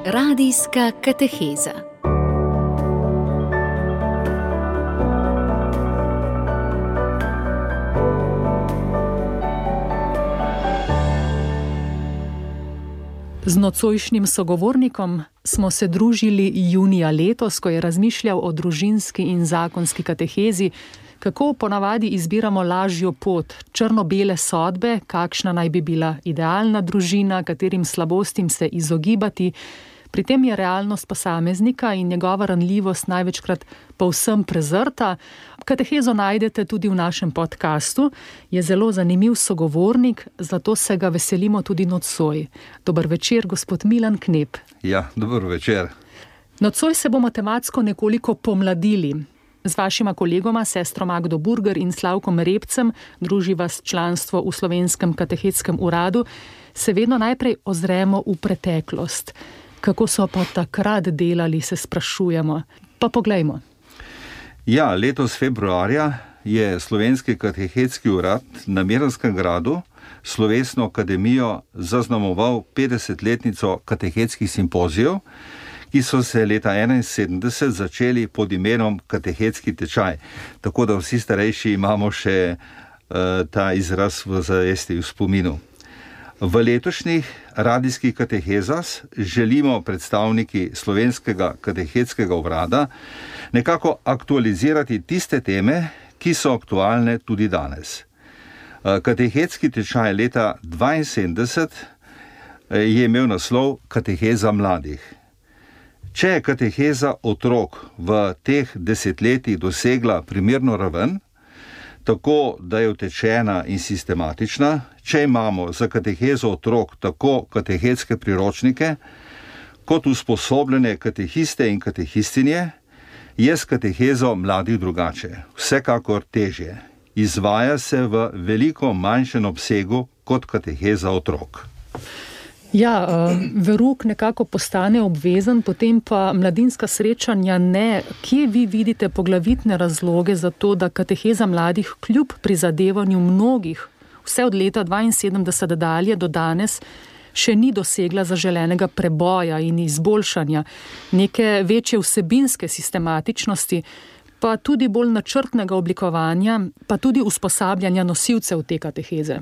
Radijska kateheza. Z nocojšnjim sogovornikom smo se družili junija letos, ko je razmišljal o družinski in zakonski katehezi, kako ponavadi izbiramo lažjo pot, črno-bele sodbe, kakšna naj bi bila idealna družina, katerim slabostim se izogibati. Pri tem je realnost posameznika in njegova ranljivost največkrat povsem prezrta. Katehezo najdete tudi v našem podkastu. Je zelo zanimiv sogovornik, zato se ga veselimo tudi nocoj. Dober večer, gospod Milan Knep. Ja, dober večer. Nocoj se bomo tematsko nekoliko pomladili. Z vašima kolegoma, sestro Magdo Burger in Slavkom Repcem, druži vas članstvo v Slovenskem katehetskem uradu, se vedno najprej ozremo v preteklost. Kako so pa takrat delali, se sprašujemo. Pa poglejmo. Ja, letos februarja je Slovenski katehetski urad na Miranskem gradu slovesno akademijo zaznamoval 50-letnico katehetskih simpozijev, ki so se leta 1971 začeli pod imenom katehetski tečaj. Tako da vsi starejši imamo še ta izraz v zavesti, v spominu. V letošnjih radijskih katehezah želimo predstavniki Slovenskega katehetskega urada nekako aktualizirati tiste teme, ki so aktualne tudi danes. Katehetski tečaj leta 1972 je imel naslov Kateheza mladih. Če je kateheza otrok v teh desetletjih dosegla primerno raven, tako da je utečena in sistematična, če imamo za katehezo otrok tako katehetske priročnike, kot usposobljene katehiste in katehistinje, je s katehezo mladih drugače, vsekakor težje. Izvaja se v veliko manjšem obsegu kot kateheza otrok. Ja, verouk nekako postane obvezen, potem pa mladinska srečanja ne. Kje vi vidite poglavitne razloge za to, da kateheza mladih kljub prizadevanju mnogih, vse od leta 1972 dalje do danes, še ni dosegla zaželenega preboja in izboljšanja, neke večje vsebinske sistematičnosti, pa tudi bolj načrtnega oblikovanja, pa tudi usposabljanja nosilcev te kateheze?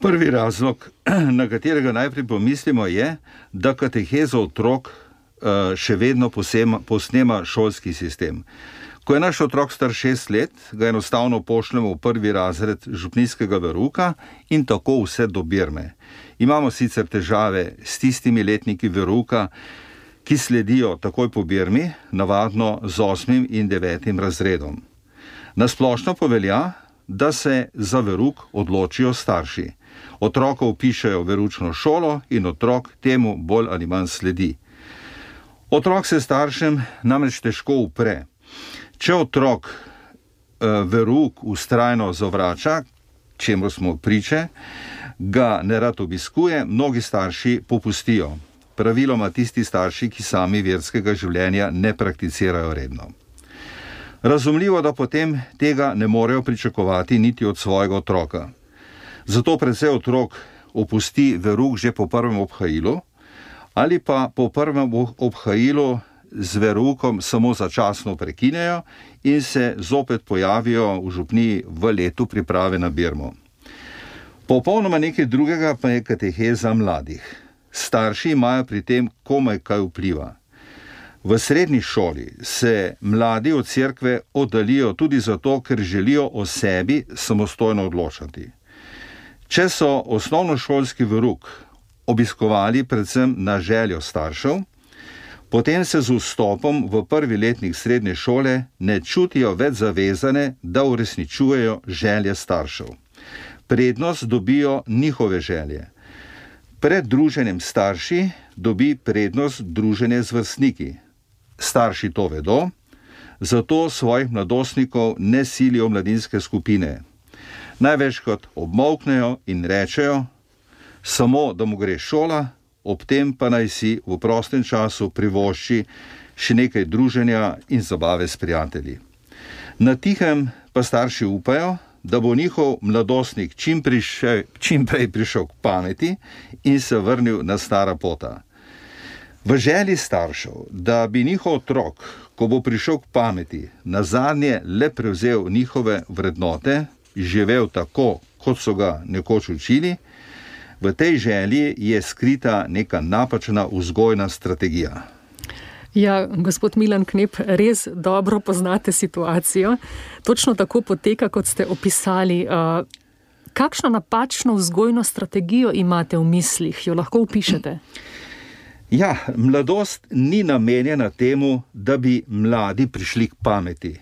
Prvi razlog, na katerega najprej pomislimo, je, da katehezo otrok še vedno posnema šolski sistem. Ko je naš otrok star 6 let, ga enostavno pošljemo v prvi razred župnijskega verouka in tako vse do birme. Imamo sicer težave s tistimi letniki verouka, ki sledijo takoj po birmi, navadno z 8. in 9. razredom. Nasplošno pa velja, da se za verouk odločijo starši. Otroka vpišejo v veroučno šolo in otrok temu bolj ali manj sledi. Otrok se staršem namreč težko upre. Če otrok verouk vztrajno zavrača, čemu smo priče, ga nerad obiskuje, mnogi starši popustijo. Praviloma tisti starši, ki sami verskega življenja ne prakticirajo redno. Razumljivo, da potem tega ne morejo pričakovati niti od svojega otroka. Zato precej otrok opusti verouk že po prvem obhajilu ali pa po prvem obhajilu z veroukom samo začasno prekinejo in se zopet pojavijo v župniji v letu priprave na birmo. Popolnoma nekaj drugega pa je kateheza mladih. Starši imajo pri tem komaj kaj vpliva. V srednji šoli se mladi od cerkve oddalijo tudi zato, ker želijo o sebi samostojno odločati. Če so osnovnošolski verouk obiskovali predvsem na željo staršev, potem se z vstopom v prvi letnik srednje šole ne čutijo več zavezane, da uresničujejo želje staršev. Prednost dobijo njihove želje. Pred druženjem starši dobi prednost druženje z vrstniki. Starši to vedo, zato svojih mladostnikov ne silijo v mladinske skupine. Največkrat obmolknejo in rečejo, samo da mu gre šola, ob tem pa naj si v prostem času privošči še nekaj druženja in zabave s prijatelji. Na tihem pa starši upajo, da bo njihov mladostnik čim prej prišel k pameti in se vrnil na stara pota. V želji staršev, da bi njihov otrok, ko bo prišel k pameti, nazadnje le prevzel njihove vrednote, živel tako, kot so ga nekoč učili, v tej želji je skrita neka napačna vzgojna strategija. Ja, gospod Milan Knep, res dobro poznate situacijo. Točno tako poteka, kot ste opisali. Kakšno napačno vzgojno strategijo imate v mislih? Jo lahko opišete? Ja, mladost ni namenjena temu, da bi mladi prišli k pameti.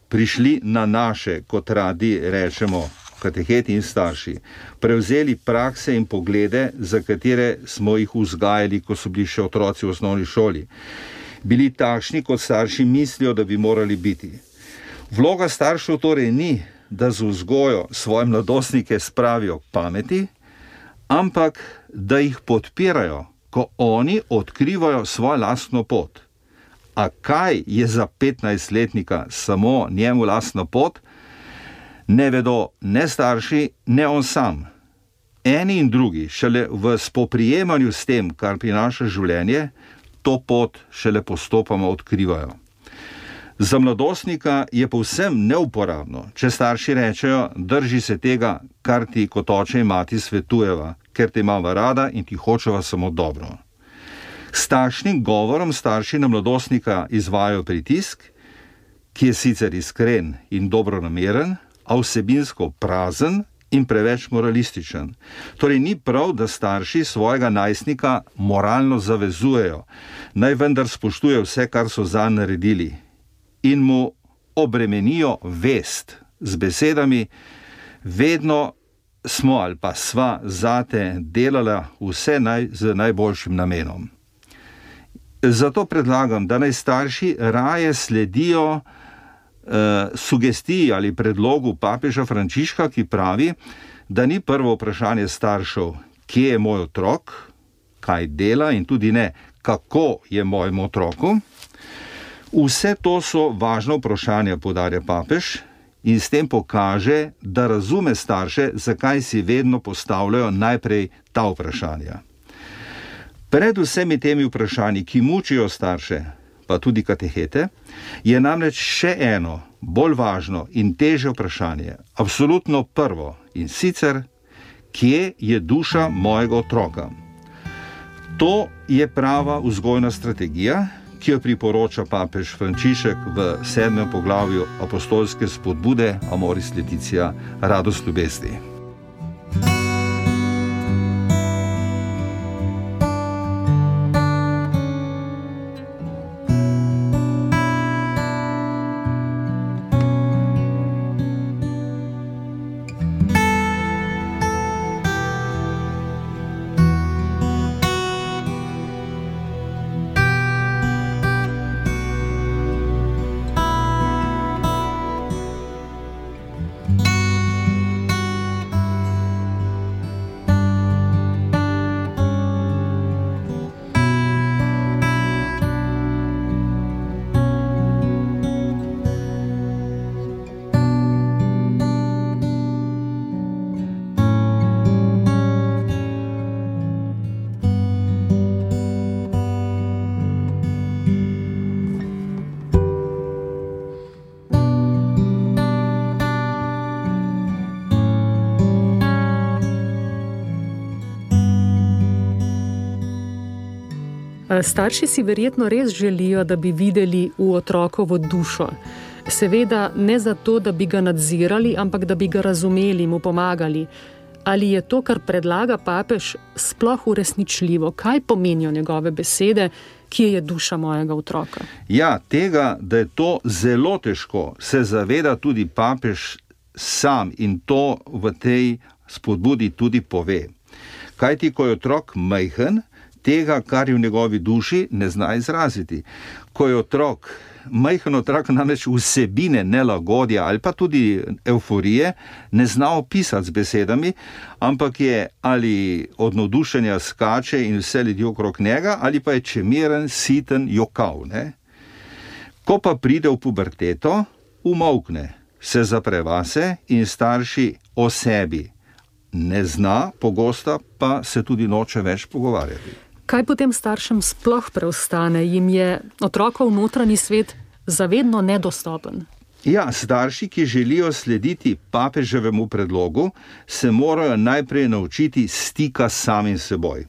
Prišli na naše, kot radi rečemo, kateheti in starši. Prevzeli prakse in poglede, za katere smo jih vzgajali, ko so bili še otroci v osnovni šoli. Bili takšni, kot starši mislijo, da bi morali biti. Vloga staršev torej ni, da z vzgojo svoje mladostnike spravijo k pameti, ampak da jih podpirajo, ko oni odkrivajo svojo lastno pot. A kaj je za 15-letnika samo njemu lastna pot, ne vedo ne starši, ne on sam. Eni in drugi šele v spoprijemanju s tem, kar prinaša življenje, to pot šele postopoma odkrivajo. Za mladostnika je povsem neuporabno, če starši rečejo, drži se tega, kar ti kot oče in mati svetujeva, ker te imava rada in ti hočeva samo dobro. S takšnim govorom starši na mladostnika izvajajo pritisk, ki je sicer iskren in dobronameren, a vsebinsko prazen in preveč moralističen. Torej ni prav, da starši svojega najstnika moralno zavezujejo, naj vendar spoštuje vse, kar so zanj naredili, in mu obremenijo vest z besedami: vedno smo ali pa sva zate delala vse z najboljšim namenom. Zato predlagam, da naj starši raje sledijo sugestiji ali predlogu papeža Frančiška, ki pravi, da ni prvo vprašanje staršev, kje je moj otrok, kaj dela, in tudi ne, kako je mojemu otroku. Vse to so važna vprašanja, poudarja papež, in s tem pokaže, da razume starše, zakaj si vedno postavljajo najprej ta vprašanja. Pred vsemi temi vprašanji, ki mučijo starše, pa tudi katehete, je namreč še eno, bolj važno in težje vprašanje, absolutno prvo, in sicer, kje je duša mojega otroka? To je prava vzgojna strategija, ki jo priporoča papež Frančišek v 7. poglavju apostolske spodbude Amoris Laetitia, radost ljubezni. Starši si verjetno res želijo, da bi videli v otrokovo dušo. Seveda ne zato, da bi ga nadzirali, ampak da bi ga razumeli, mu pomagali. Ali je to, kar predlaga papež, sploh uresničljivo? Kaj pomenijo njegove besede, kje je duša mojega otroka? Ja, tega, da je to zelo težko, se zaveda tudi papež sam in to v tej spodbudi tudi pove. Kajti, ko je otrok majhen, tega, kar je v njegovi duši, ne zna izraziti. Ko je majhen otrok namreč vsebine nelagodja ali pa tudi evforije ne zna opisati z besedami, ampak je ali od navdušenja skače in vse ljudi okrog njega, ali pa je čemeren, siten, jokav. Ko pa pride v puberteto, umolkne, se zapre vase in starši o sebi ne zna, pogosto pa se tudi noče več pogovarjati. Kaj potem staršem sploh preostane? Jim je otrokov notranji svet zavedno nedostopen? Ja, starši, ki želijo slediti papeževemu predlogu, se morajo najprej naučiti stika s samim seboj.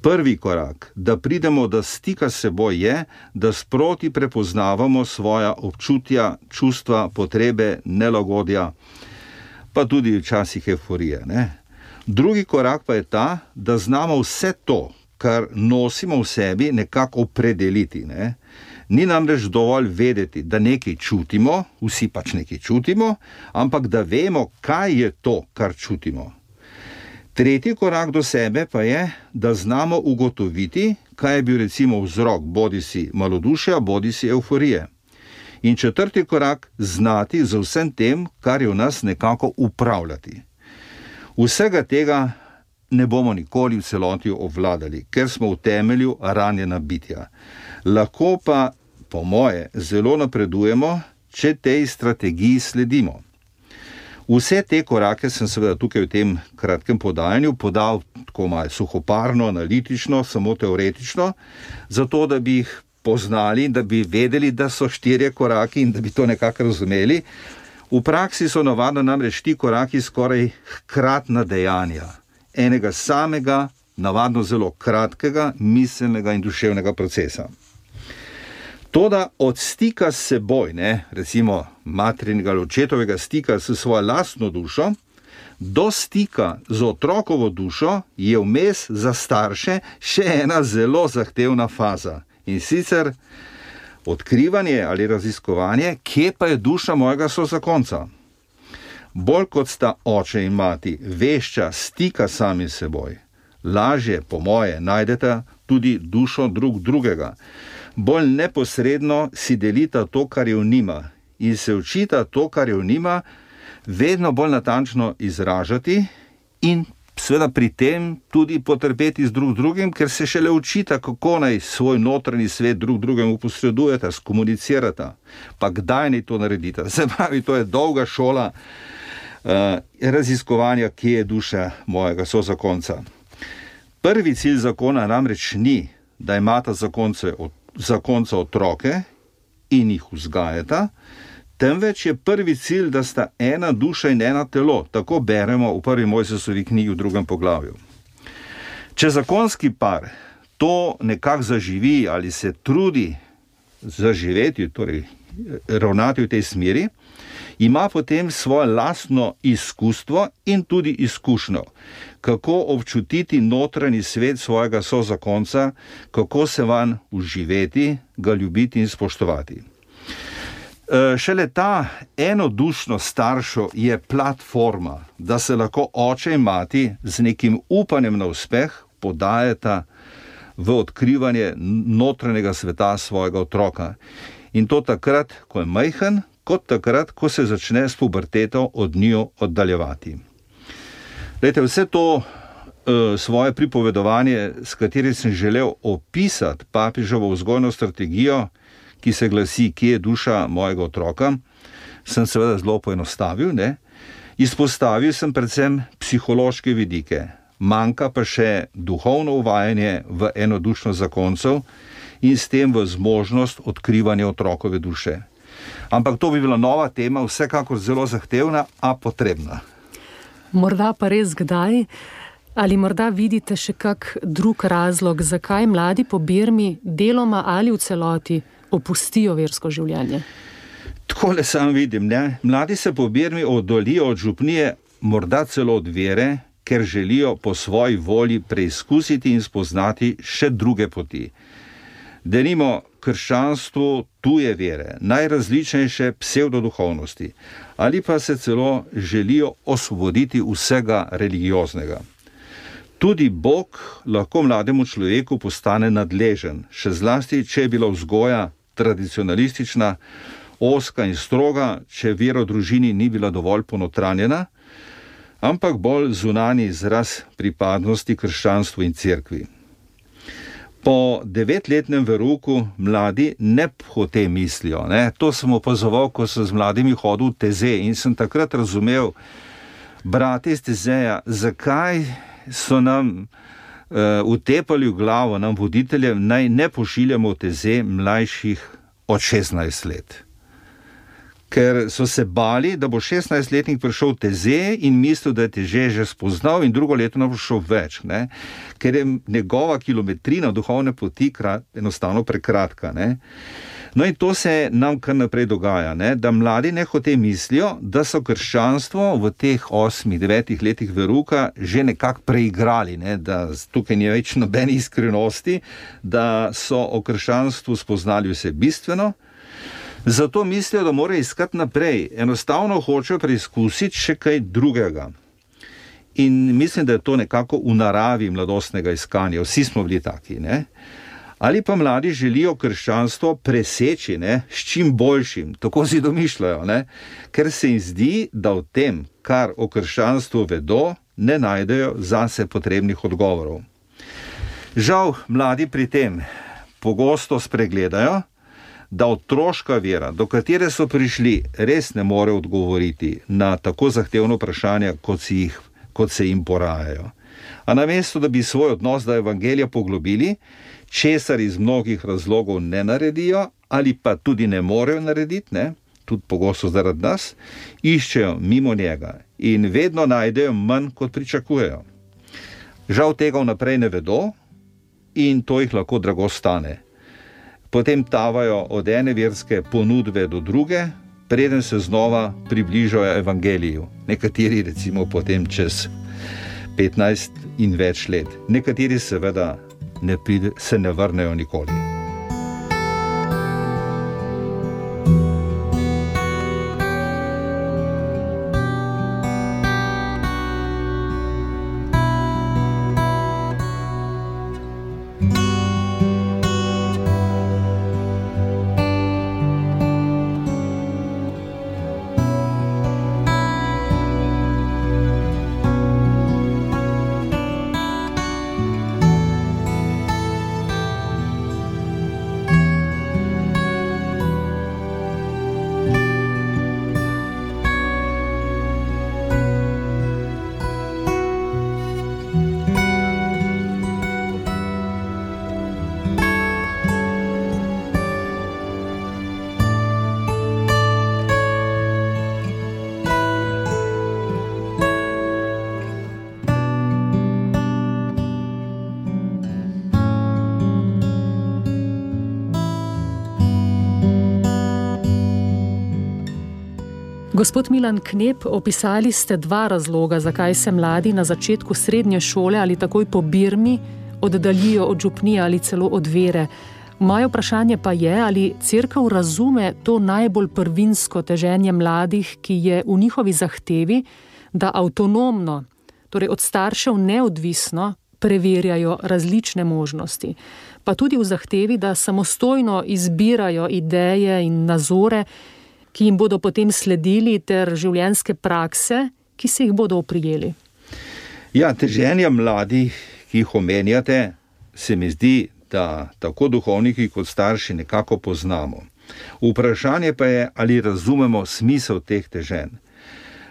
Prvi korak, da pridemo do stika s seboj, je, da sproti prepoznavamo svoja občutja, čustva, potrebe, nelagodja, pa tudi včasih euforije, ne? Drugi korak pa je ta, da znamo vse to, kar nosimo v sebi, nekako opredeliti, ne? Ni namreč dovolj vedeti, da nekaj čutimo, vsi pač nekaj čutimo, ampak da vemo, kaj je to, kar čutimo. Tretji korak do sebe pa je, da znamo ugotoviti, kaj je bil recimo vzrok bodisi malodušja, bodisi euforije. In četrti korak, znati z vsem tem, kar je v nas, nekako upravljati. Vsega tega ne bomo nikoli v celoti obvladali, ker smo v temelju ranjena bitja. Lahko pa, po moje, zelo napredujemo, če tej strategiji sledimo. Vse te korake sem seveda tukaj v tem kratkem podajanju podal tako malo suhoparno, analitično, samo teoretično, zato da bi jih poznali, da bi vedeli, da so 4 koraki in da bi to nekako razumeli. V praksi so navadno namreč ti koraki skoraj hkratna dejanja enega samega, navadno zelo kratkega, miselnega in duševnega procesa. Toda od stika s seboj, ne, recimo materinega ali očetovega stika s svojo lastno dušo, do stika z otrokovo dušo je vmes za starše še ena zelo zahtevna faza. In sicer odkrivanje ali raziskovanje, kje pa je duša mojega sozakonca. Bolj kot sta oče in mati vešča stika sami s seboj, lažje, po moje, najdete tudi dušo drug drugega. Bolj neposredno si delita to, kar je v njima, in se učita to, kar je v njima, vedno bolj natančno izražati in seveda pri tem tudi potrpeti z drug drugim, ker se šele učita, kako naj svoj notranji svet drug drugemu posredujeta, skomunicirata, pa kdaj naj to naredita. Se pravi, to je dolga šola raziskovanja, kje je duša mojega sozakonca. Prvi cilj zakona namreč ni, da imata zakonca otroke in jih vzgajata, temveč je prvi cilj, da sta ena duša in ena telo, tako beremo v prvi Mojzesovi knjigi v 2. poglavju. Če zakonski par to nekako zaživi ali se trudi zaživeti, torej ravnati v tej smeri, ima potem svoje lastno izkustvo in tudi izkušnjo, kako občutiti notranji svet svojega sozakonca, kako se vanj uživeti, ga ljubiti in spoštovati. Šele ta enodušnost staršev je platforma, da se lahko oče in mati z nekim upanjem na uspeh podajata v odkrivanje notranjega sveta svojega otroka. In to takrat, ko je majhen, kot takrat, ko se začne s puberteto od njiju oddaljevati. Glejte, vse to svoje pripovedovanje, s katerim sem želel opisati papeževo vzgojno strategijo, ki se glasi, kje je duša mojega otroka, sem seveda zelo poenostavil, ne? Izpostavil sem predvsem psihološke vidike, manjka pa še duhovno uvajanje v enodušnost zakoncev in s tem v zmožnost odkrivanja otrokove duše. Ampak to bi bila nova tema, vsekakor zelo zahtevna, a potrebna. Morda pa res kdaj? Ali morda vidite še kak drug razlog, zakaj mladi po birmi deloma ali v celoti opustijo versko življenje? Takole sam vidim, ne? Mladi se po birmi oddaljijo od župnije, morda celo od vere, ker želijo po svoji volji preizkusiti in spoznati še druge poti. Denimo krščanstvu tuje vere, najrazličnejše psevdoduhovnosti, ali pa se celo želijo osvoboditi vsega religioznega. Tudi Bog lahko mlademu človeku postane nadležen, še zlasti, če je bila vzgoja tradicionalistična, ozka in stroga, če vera v družini ni bila dovolj ponotranjena, ampak bolj zunanji izraz pripadnosti krščanstvu in cerkvi. Po 9-letnem verouku mladi ne hote mislijo, ne? To sem opazoval, ko sem z mladimi hodil v Teze in sem takrat razumel, brate iz Tezeja, zakaj so nam utepali v glavo nam voditeljem, naj ne pošiljamo v teze mlajših od 16 let. Ker so se bali, da bo 16-letnik prišel v teze in mislil, da je teže že spoznal in drugo leto ne bo šel več, ne? Ker je njegova kilometrina duhovne poti enostavno prekratka. Ne? No in to se nam kar naprej dogaja, ne? Da mladi nehote mislijo, da so krščanstvo v teh 8-9 letih veruka že nekako preigrali, ne? Da tukaj ni več nobene iskrenosti, da so o krščanstvu spoznali vse bistveno. Zato mislijo, da morajo iskati naprej, enostavno hočejo preizkusiti še kaj drugega. In mislim, da je to nekako v naravi mladostnega iskanja, vsi smo bili taki, ne? Ali pa mladi želijo krščanstvo preseči, ne? S čim boljšim, tako si domišljajo, ne? Ker se jim zdi, da v tem, kar o krščanstvu vedo, ne najdejo zase potrebnih odgovorov. Žal, mladi pri tem pogosto spregledajo, da otroška vera, do katere so prišli, res ne more odgovoriti na tako zahtevno vprašanja, kot se jim porajajo. A namesto, da bi svoj odnos do evangelija poglobili, česar iz mnogih razlogov ne naredijo ali pa tudi ne morejo narediti, ne, tudi pogosto zaradi nas, iščejo mimo njega in vedno najdejo manj, kot pričakujejo. Žal tega vnaprej ne vedo in to jih lahko drago stane. Potem tavajo od ene verske ponudbe do druge, preden se znova približajo evangeliju. Nekateri recimo potem čez 15 in več let. Nekateri seveda se ne vrnejo nikoli. Gospod Milan Knep, opisali ste dva razloga, zakaj se mladi na začetku srednje šole ali takoj po birmi oddaljijo od župnije ali celo od vere. Moje vprašanje pa je, ali cerkev razume to najbolj prvinsko teženje mladih, ki je v njihovi zahtevi, da avtonomno, torej od staršev neodvisno, preverjajo različne možnosti. Pa tudi v zahtevi, da samostojno izbirajo ideje in nazore, ki jim bodo potem sledili, ter življenjske prakse, ki se jih bodo oprijeli. Ja, teženja mladih, ki jih omenjate, se mi zdi, da tako duhovniki kot starši nekako poznamo. Vprašanje pa je, ali razumemo smisel teh teženj.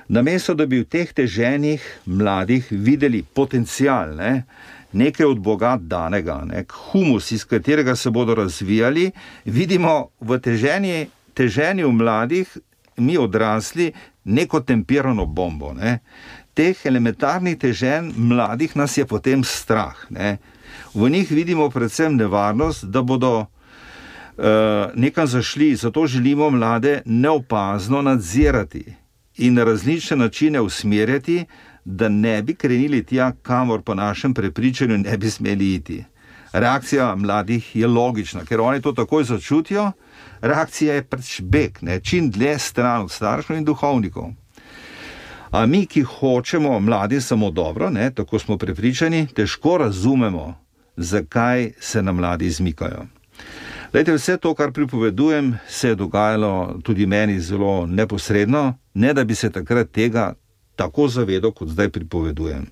Namesto, da bi v teh teženjih mladih videli potencial, nekaj od Boga danega, nek humus, iz katerega se bodo razvijali, vidimo v teženju mladih, mi odrasli, neko tempirano bombo. Teh elementarnih teženj mladih nas je potem strah. V njih vidimo predvsem nevarnost, da bodo nekam zašli, zato želimo mlade neopazno nadzirati in na različne načine usmerjati, da ne bi krenili tja, kamor po našem prepričanju ne bi smeli iti. Reakcija mladih je logična, ker oni to takoj začutijo. Reakcija je pač beg, čim dlje stran od staršev in duhovnikov. A mi, ki hočemo mladi samo dobro, tako smo prepričani, težko razumemo, zakaj se nam mladi izmikajo. Glejte, vse to, kar pripovedujem, se je dogajalo tudi meni zelo neposredno, ne da bi se takrat tega tako zavedal, kot zdaj pripovedujem.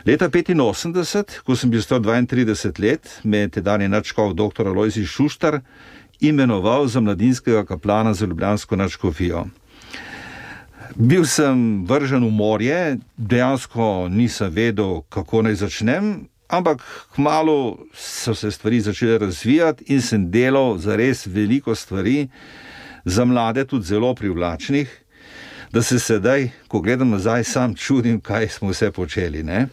Leta 1985, ko sem bil star 32 let, me je tedajni nadškof dr. Alojzij Šuštar imenoval za mladinskega kaplana za ljubljansko nadškofijo. Bil sem vržen v morje, dejansko nisem vedel, kako naj začnem, ampak kmalu so se stvari začele razvijati in sem delal zares veliko stvari, za mlade tudi zelo privlačnih, da se sedaj, ko gledam nazaj, sam čudim, kaj smo vse počeli, ne?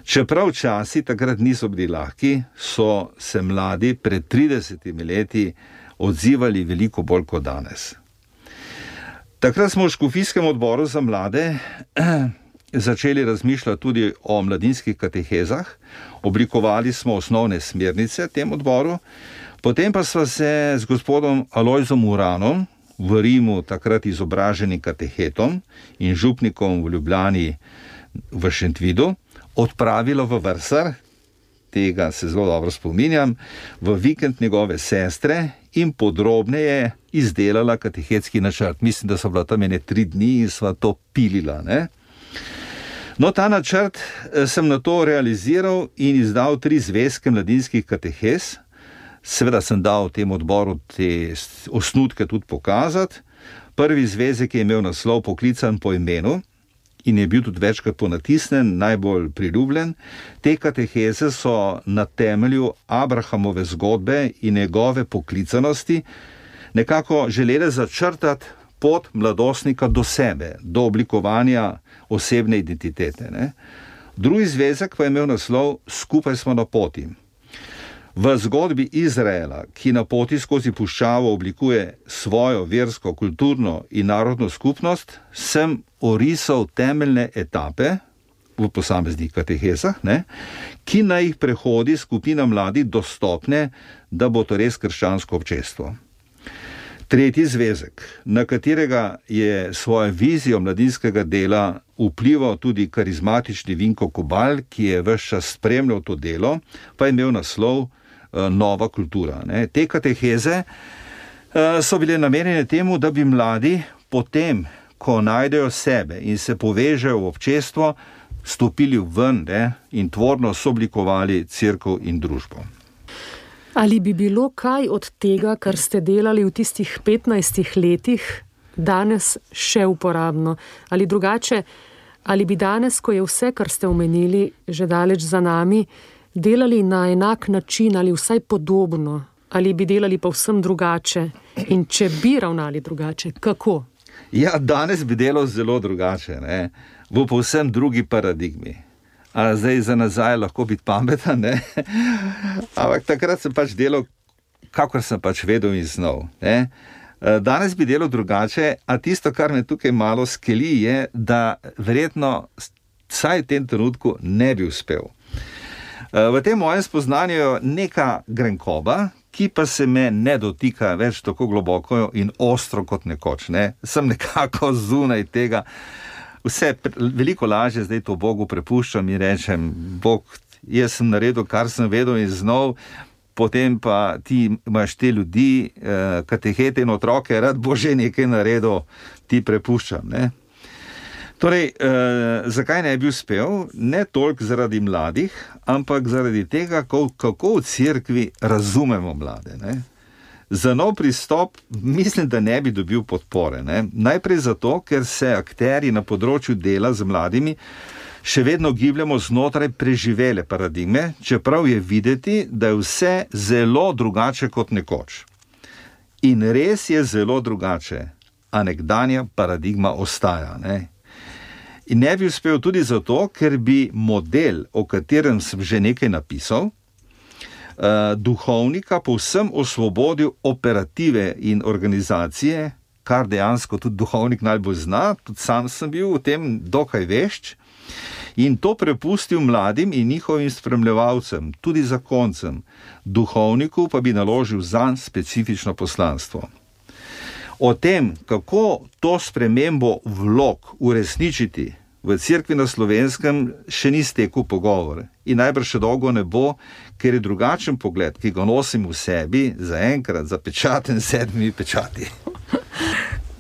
Čeprav časi takrat niso bili lahki, so se mladi pred 30 leti odzivali veliko bolj kot danes. Takrat smo v škofijskem odboru za mlade začeli razmišljati tudi o mladinskih katehezah, oblikovali smo osnovne smernice tem odboru, potem pa sva se z gospodom Alojzom Uranom, v Rimu takrat izobraženim katehetom in župnikom v Ljubljani v Šentvidu, odpravila v Vrsar, tega se zelo dobro spominjam, v vikend njegove sestre in podrobneje izdelala katehetski načrt. Mislim, da so bila tam 3 dni in sva to pilila, ne? No, ta načrt sem na to realiziral in izdal 3 zvezke mladinskih katehez. Seveda sem dal tem odboru te osnutke tudi pokazati. Prvi zvezek je imel naslov Poklican po imenu in je bil tudi večkrat ponatisnen, najbolj priljubljen. Te kateheze so na temelju Abrahamove zgodbe in njegove poklicanosti nekako želele začrtati pot mladostnika do sebe, do oblikovanja osebne identitete, ne? Drugi zvezek pa je imel naslov Skupaj smo na poti. V zgodbi Izraela, ki na poti skozi puščavo oblikuje svojo versko, kulturno in narodno skupnost, sem orisal temeljne etape v posameznih katehezah, ne, ki naj jih prehodi skupina mladih do stopnje, da bo to res krščansko občestvo. Tretji zvezek, na katerega je svojo vizijo mladinskega dela vplival tudi karizmatični Vinko Kobal, ki je ves čas spremljal to delo, pa je imel naslov Nova kultura, ne. Te kateheze so bile namenjene temu, da bi mladi potem, ko najdejo sebe in se povežejo v občestvo, stopili ven, ne, in tvorno soblikovali cerkev in družbo. Ali bi bilo kaj od tega, kar ste delali v tistih 15 letih, danes še uporabno? Ali drugače, ali bi danes, ko je vse, kar ste omenili, že daleč za nami, delali na enak način ali vsaj podobno? Ali bi delali povsem drugače? In če bi ravnali drugače, kako? Ja, danes bi delal zelo drugače, ne? V povsem drugi paradigmi. A zdaj za nazaj lahko biti pameten, ne? Ampak takrat sem pač delal, kakor sem pač vedel in znal, ne? Danes bi delal drugače, a tisto, kar me tukaj malo skeli, je, da verjetno vsaj v tem trenutku ne bi uspel. V tem mojem spoznanju je neka grenkoba, ki pa se me ne dotika več tako globoko in ostro kot nekoč, ne? Sem nekako zunaj tega. Vse veliko lažje zdaj to Bogu prepuščam in rečem, Bog, jaz sem naredil, kar sem vedel in znal, potem pa ti imaš te ljudi, katehete in otroke, rad bo že nekaj naredil, ti prepuščam, ne? Torej, zakaj ne bi uspel? Ne toliko zaradi mladih, ampak zaradi tega, kako v cerkvi razumemo mlade, ne? Za nov pristop mislim, da ne bi dobil podpore, ne? Najprej zato, ker se akterji na področju dela z mladimi še vedno gibljamo znotraj preživele paradigme, čeprav je videti, da je vse zelo drugače kot nekoč. In res je zelo drugače, a nekdanja paradigma ostaja, ne? In ne bi uspel tudi zato, ker bi model, o katerem sem že nekaj napisal, duhovnika povsem osvobodil operative in organizacije, kar dejansko tudi duhovnik najbolj zna, tudi sam sem bil v tem dokaj vešč, in to prepustil mladim in njihovim spremljevalcem, tudi zakoncem, duhovniku pa bi naložil zanj specifično poslanstvo. O tem, kako to spremembo vlog uresničiti v cerkvi na Slovenskem, še ni stekel pogovor. In najbrž še dolgo ne bo, ker je drugačen pogled, ki ga nosim v sebi, zaenkrat zapečaten 7 pečati.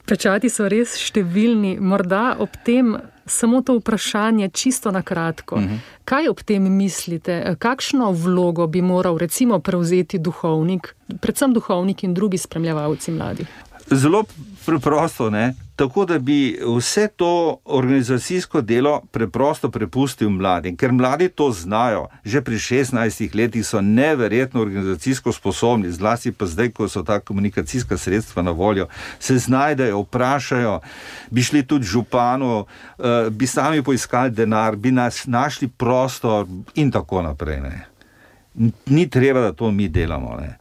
Pečati so res številni. Morda ob tem samo to vprašanje čisto na kratko. Kaj ob tem mislite? Kakšno vlogo bi moral recimo prevzeti duhovnik, predvsem duhovnik in drugi spremljevalci mladih? Zelo preprosto, ne? Tako da bi vse to organizacijsko delo preprosto prepustil mladim, ker mladi to znajo. Že pri 16 letih so neverjetno organizacijsko sposobni, zlasti pa zdaj, ko so ta komunikacijska sredstva na voljo, se znajdejo, vprašajo, bi šli tudi županu, bi sami poiskali denar, bi našli prostor in tako naprej. Ne? Ni treba, da to mi delamo. Ne?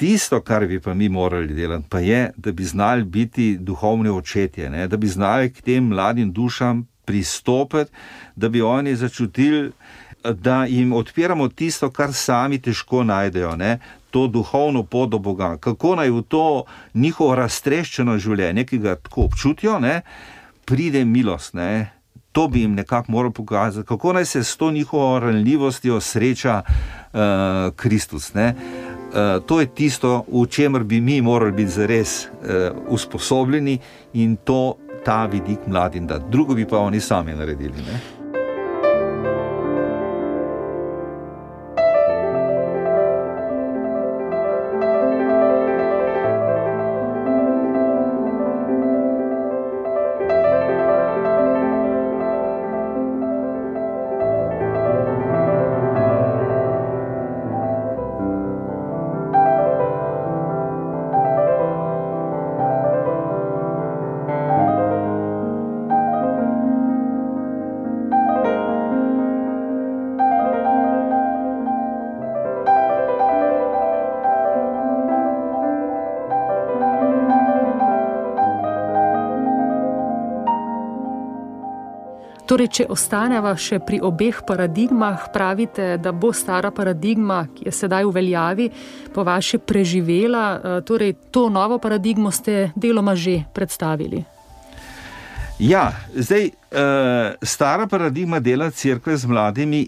Tisto, kar bi pa mi morali delati, pa je, da bi znali biti duhovni očetje, ne? Da bi znali k tem mladim dušam pristopiti, da bi oni začutili, da jim odpiramo tisto, kar sami težko najdejo, ne? To duhovno pot do Boga, kako naj v to njihovo raztreščeno življenje, ki ga tako občutijo, ne? Pride milost, ne? To bi jim nekako moral pokazati, kako naj se s to njihovo ranljivostjo sreča Kristus, ne? To je tisto, v čemer bi mi morali biti zares usposobljeni in ta vidik mladim dati. Drugo bi pa oni sami naredili, ne? Torej, če ostaneva še pri obeh paradigmah, pravite, da bo stara paradigma, ki je sedaj v veljavi, po vaše preživela, torej to novo paradigmo ste deloma že predstavili. Ja, zdaj, stara paradigma dela cerkve z mladimi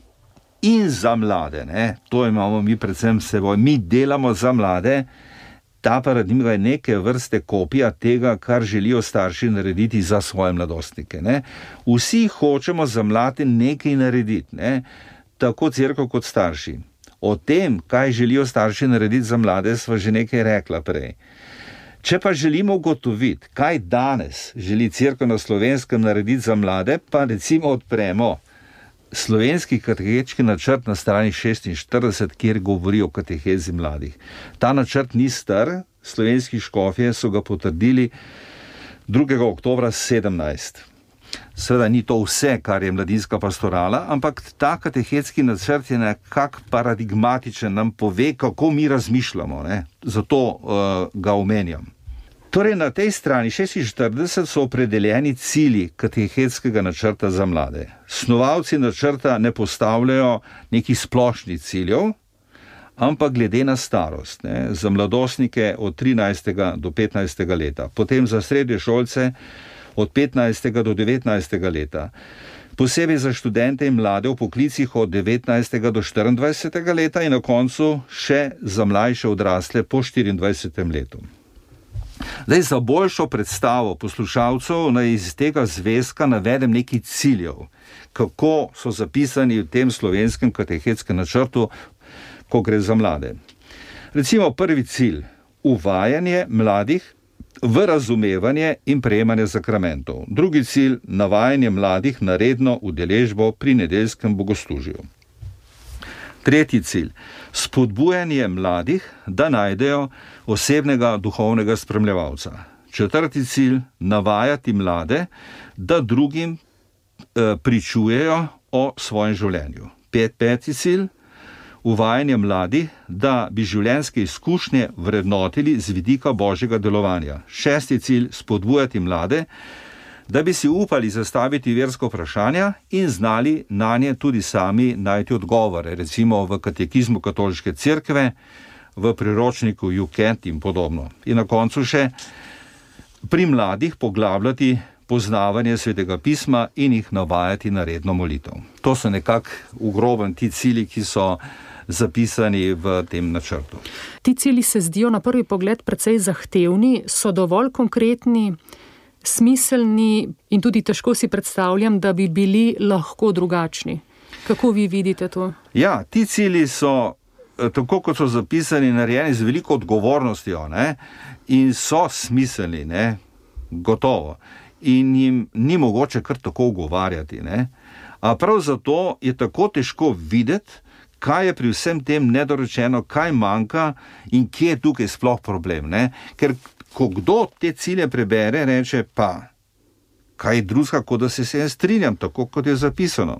in za mlade, ne? To imamo mi predvsem s seboj. Mi delamo za mlade. Ta paradigma je neke vrste kopija tega, kar želijo starši narediti za svoje mladostnike. Ne? Vsi hočemo za mlade nekaj narediti, ne? Tako cerkev kot starši. O tem, kaj želijo starši narediti za mlade, sva že nekaj rekla prej. Če pa želimo ugotoviti, kaj danes želi cerkev na Slovenskem narediti za mlade, pa recimo odpremo slovenski katehečki načrt na strani 46, kjer govori o katehezi mladih. Ta načrt ni star, slovenski škofje so ga potrdili 2. oktobra 17. Seveda ni to vse, kar je mladinska pastorala, ampak ta katehečki načrt je nekak paradigmatičen, nam pove, kako mi razmišljamo, ne? Zato ga omenjam. Torej, na tej strani 46 so opredeljeni cilji katehetskega načrta za mlade. Snovalci načrta ne postavljajo nekih splošnih ciljev, ampak glede na starost, ne, za mladostnike od 13. do 15. leta, potem za srednješolce od 15. do 19. leta, posebej za študente in mlade v poklicih od 19. do 24. leta in na koncu še za mlajše odrasle po 24. letu. Zdaj, za boljšo predstavo poslušalcev naj iz tega zvezka navedem nekaj ciljev, kako so zapisani v tem slovenskem katehetskem načrtu, ko gre za mlade. Recimo prvi cilj, uvajanje mladih v razumevanje in prejemanje sakramentov. Drugi cilj, navajanje mladih na redno udeležbo pri nedeljskem bogoslužju. Tretji cilj, spodbujanje mladih, da najdejo osebnega duhovnega spremljevalca. Četrti cilj, navajati mlade, da drugim pričujejo o svojem življenju. Peti cilj, uvajanje mladih, da bi življenjske izkušnje vrednotili z vidika božjega delovanja. Šesti cilj, spodbujati mlade, da bi si upali zastaviti versko vprašanja in znali nanje tudi sami najti odgovore, recimo v katekizmu katoliške cerkve, v priročniku Juket in podobno. In na koncu še pri mladih poglabljati poznavanje svetega pisma in jih navajati na redno molitev. To so nekako v grobem ti cilji, ki so zapisani v tem načrtu. Ti cilji se zdijo na prvi pogled precej zahtevni, so dovolj konkretni, smiselni in tudi težko si predstavljam, da bi bili lahko drugačni. Kako vi vidite to? Ja, ti cilji so tako kot so zapisani, narejeni z veliko odgovornostjo, ne, in so smiselni, ne, gotovo. In jim ni mogoče kar tako ugovarjati, ne. A prav zato je tako težko videti, kaj je pri vsem tem nedorečeno, kaj manjka in kje je tukaj sploh problem, ne. Ker ko kdo te cilje prebere, reče pa, kaj drugega, kot da se jaz strinjam, tako kot je zapisano.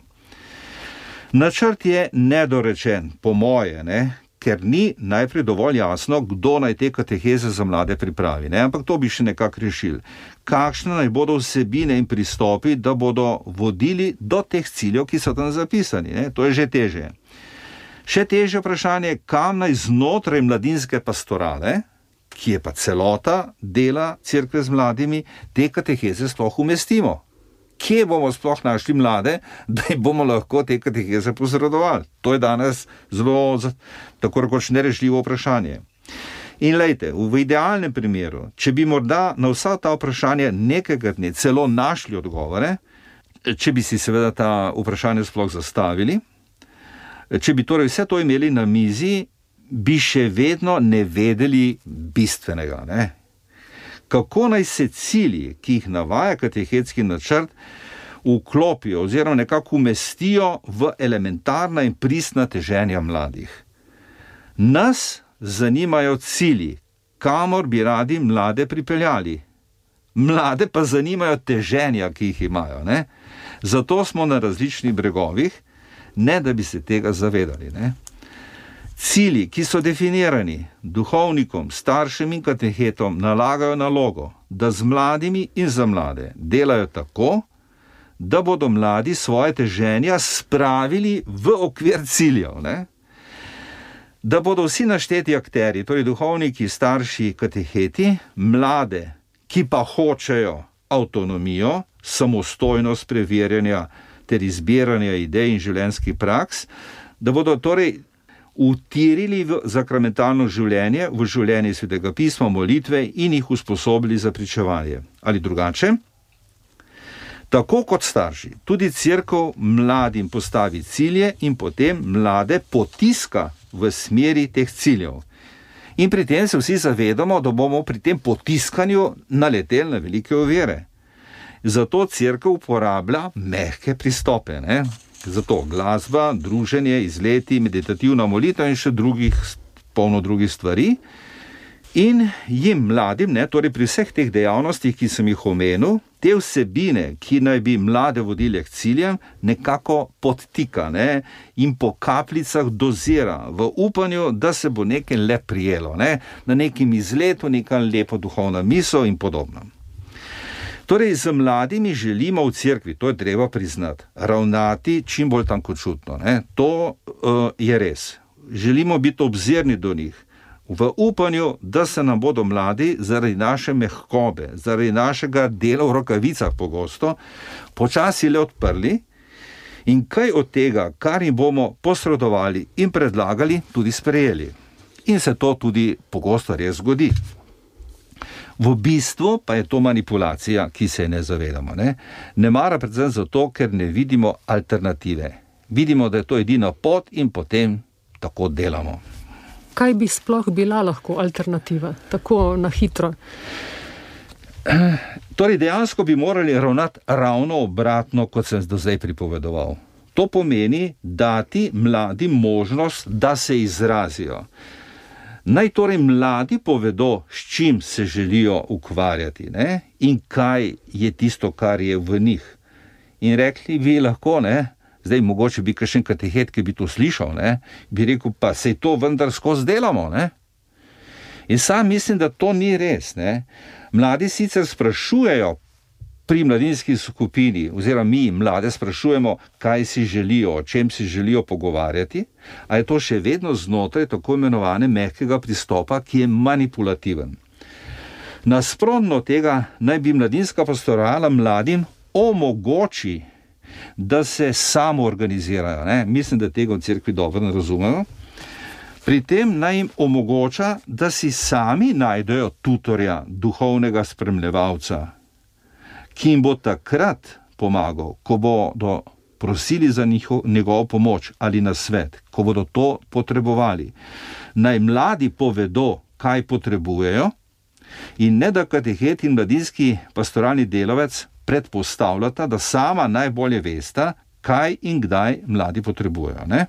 Načrt je nedorečen, po moje, ne, ker ni najprej dovolj jasno, kdo naj te kateheze za mlade pripravi, ne, ampak to bi še nekako rešili. Kakšne naj bodo vsebine in pristopi, da bodo vodili do teh ciljev, ki so tam zapisani, ne, to je že težje. Še težje vprašanje, kam naj znotraj mladinske pastorale, ki je pa celota dela cerkve z mladimi, te kateheze sploh umestimo. Kje bomo sploh našli mlade, da jim bomo lahko te kateheze posredovali? To je danes zelo, tako rekoč, nerešljivo vprašanje. In lejte, v idealnem primeru, če bi morda na vsa ta vprašanja nekega dne celo našli odgovore, če bi si seveda ta vprašanja sploh zastavili, če bi torej vse to imeli na mizi, bi še vedno ne vedeli bistvenega, ne? Kako naj se cilji, ki jih navaja katehetski načrt, vklopijo oziroma nekako umestijo v elementarna in pristna teženja mladih. Nas zanimajo cilji, kamor bi radi mlade pripeljali. Mlade pa zanimajo teženja, ki jih imajo, ne? Zato smo na različnih bregovih, ne da bi se tega zavedali, ne? Cilji, ki so definirani, duhovnikom, staršem in katehetom nalagajo nalogo, da z mladimi in za mlade delajo tako, da bodo mladi svoje teženja spravili v okvir ciljev, ne? Da bodo vsi našteti akterji, torej duhovniki, starši, kateheti, mlade, ki pa hočejo avtonomijo, samostojnost preverjanja ter izbiranja idej in življenjskih praks, da bodo torej utirili v sakramentalno življenje, v življenje Svetega pisma, molitve in jih usposobili za pričevanje. Ali drugače? Tako kot starši, tudi cerkev mladim postavi cilje in potem mlade potiska v smeri teh ciljev. In pri tem se vsi zavedamo, da bomo pri tem potiskanju naleteli na velike ovire. Zato cerkev uporablja mehke pristope, ne? Zato glasba, druženje, izleti, meditativna molitev in še polno drugih stvari. In jim mladim, ne, torej pri vseh teh dejavnostih, ki sem jih omenil, te vsebine, ki naj bi mlade vodile k ciljem, nekako podtika, ne, in po kapljicah dozira v upanju, da se bo nekaj le prijelo, ne, na nekem izletu, neka lepa duhovna misel in podobno. Torej, z mladimi želimo v cerkvi, to je treba priznati, ravnati čim bolj tankočutno, ne? To je res. Želimo biti obzirni do njih, v upanju, da se nam bodo mladi zaradi naše mehkobe, zaradi našega dela v rokavicah pogosto, počasi le odprli in kaj od tega, kar jim bomo posredovali in predlagali, tudi sprejeli. In se to tudi pogosto res zgodi. V bistvu pa je to manipulacija, ki se je ne zavedamo, ne? Ne mara predvsem zato, ker ne vidimo alternative. Vidimo, da je to edina pot in potem tako delamo. Kaj bi sploh bila lahko alternativa, tako na hitro? Torej, dejansko bi morali ravnati ravno obratno, kot sem do zdaj pripovedoval. To pomeni dati mladim možnost, da se izrazijo. Naj torej mladi povedo, s čim se želijo ukvarjati, ne? In kaj je tisto, kar je v njih. In rekli bi lahko, ne? Zdaj mogoče bi kakšen katehet, ki bi to slišal, ne? Bi rekel, pa sej to vendar skozi delamo, ne? In sam mislim, da to ni res, ne? Mladi sicer sprašujejo pri mladinski skupini, oziroma mi mlade sprašujemo, kaj si želijo, o čem si želijo pogovarjati, a je to še vedno znotraj tako imenovane mehkega pristopa, ki je manipulativen. Nasprotno tega naj bi mladinska pastorala mladim omogoči, da se samo organizirajo, ne? Mislim, da tega v cerkvi dobro ne razumejo. Pri tem naj jim omogoča, da si sami najdejo tutorja, duhovnega spremljevalca, ki jim bo takrat pomagal, ko bodo prosili za njegovo pomoč ali nasvet, ko bodo to potrebovali. Naj mladi povedo, kaj potrebujejo, in ne da katehet in mladinski pastoralni delavec predpostavljata, da sama najbolje vesta, kaj in kdaj mladi potrebujejo. Ne?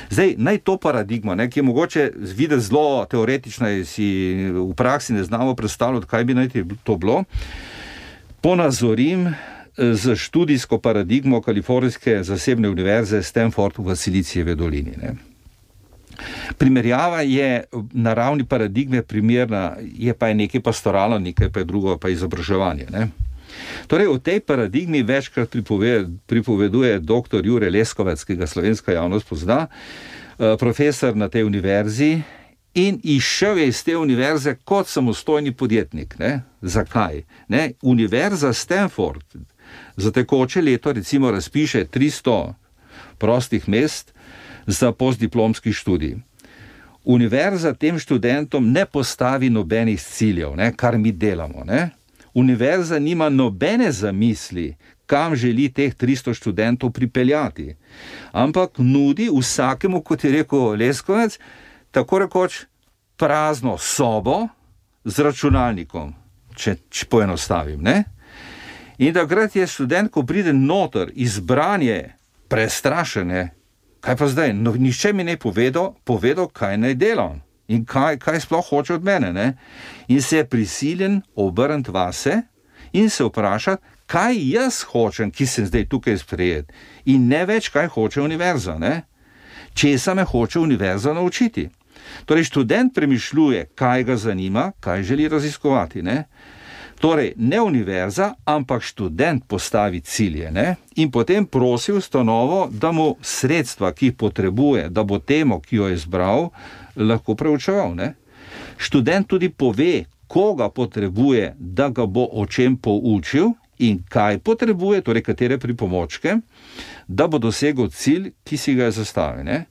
Zdaj, naj to paradigma, ki je mogoče videti zelo teoretična in si v praksi ne znamo predstavljati, kaj bi naj to bilo, ponazorim z študijsko paradigmo Kalifornijske zasebne univerze Stanford v Silicijevi dolini. Ne. Primerjava je na ravni paradigme primerna, je pa nekaj pastoralno, nekaj pa je drugo, pa izobraževanje. Ne. Torej, v tej paradigmi večkrat pripoveduje dr. Jure Leskovec, ki ga slovenska javnost pozna, profesor na tej univerzi, in izšel je iz te univerze kot samostojni podjetnik. Ne? Zakaj? Ne? Univerza Stanford za tekoče leto recimo razpiše 300 prostih mest za postdiplomski študij. Univerza tem študentom ne postavi nobenih ciljev, ne? Kar mi delamo. Ne? Univerza nima nobene zamisli, kam želi teh 300 študentov pripeljati, ampak nudi vsakemu, kot je rekel Leskovec, tako rekoč prazno sobo z računalnikom, če poenostavim. Ne? In takrat je študent, ko pride noter, izbranje, prestrašene, kaj pa zdaj, no, nišče mi ne povedal, kaj naj delam in kaj sploh hoče od mene. Ne? In se je prisiljen obrniti vase in se vprašati, kaj jaz hočem, ki sem zdaj tukaj sprejet, in ne več, kaj hoče univerza. Ne? Česa me hoče univerza naučiti. Torej, študent premišljuje, kaj ga zanima, kaj želi raziskovati. Ne? Torej, ne univerza, ampak študent postavi cilje, ne? In potem prosi ustanovo, da mu sredstva, ki jih potrebuje, da bo temo, ki jo je izbral, lahko preučeval. Ne? Študent tudi pove, koga potrebuje, da ga bo o čem poučil in kaj potrebuje, torej katere pripomočke, da bo dosegel cilj, ki si ga je zastavil. Ne?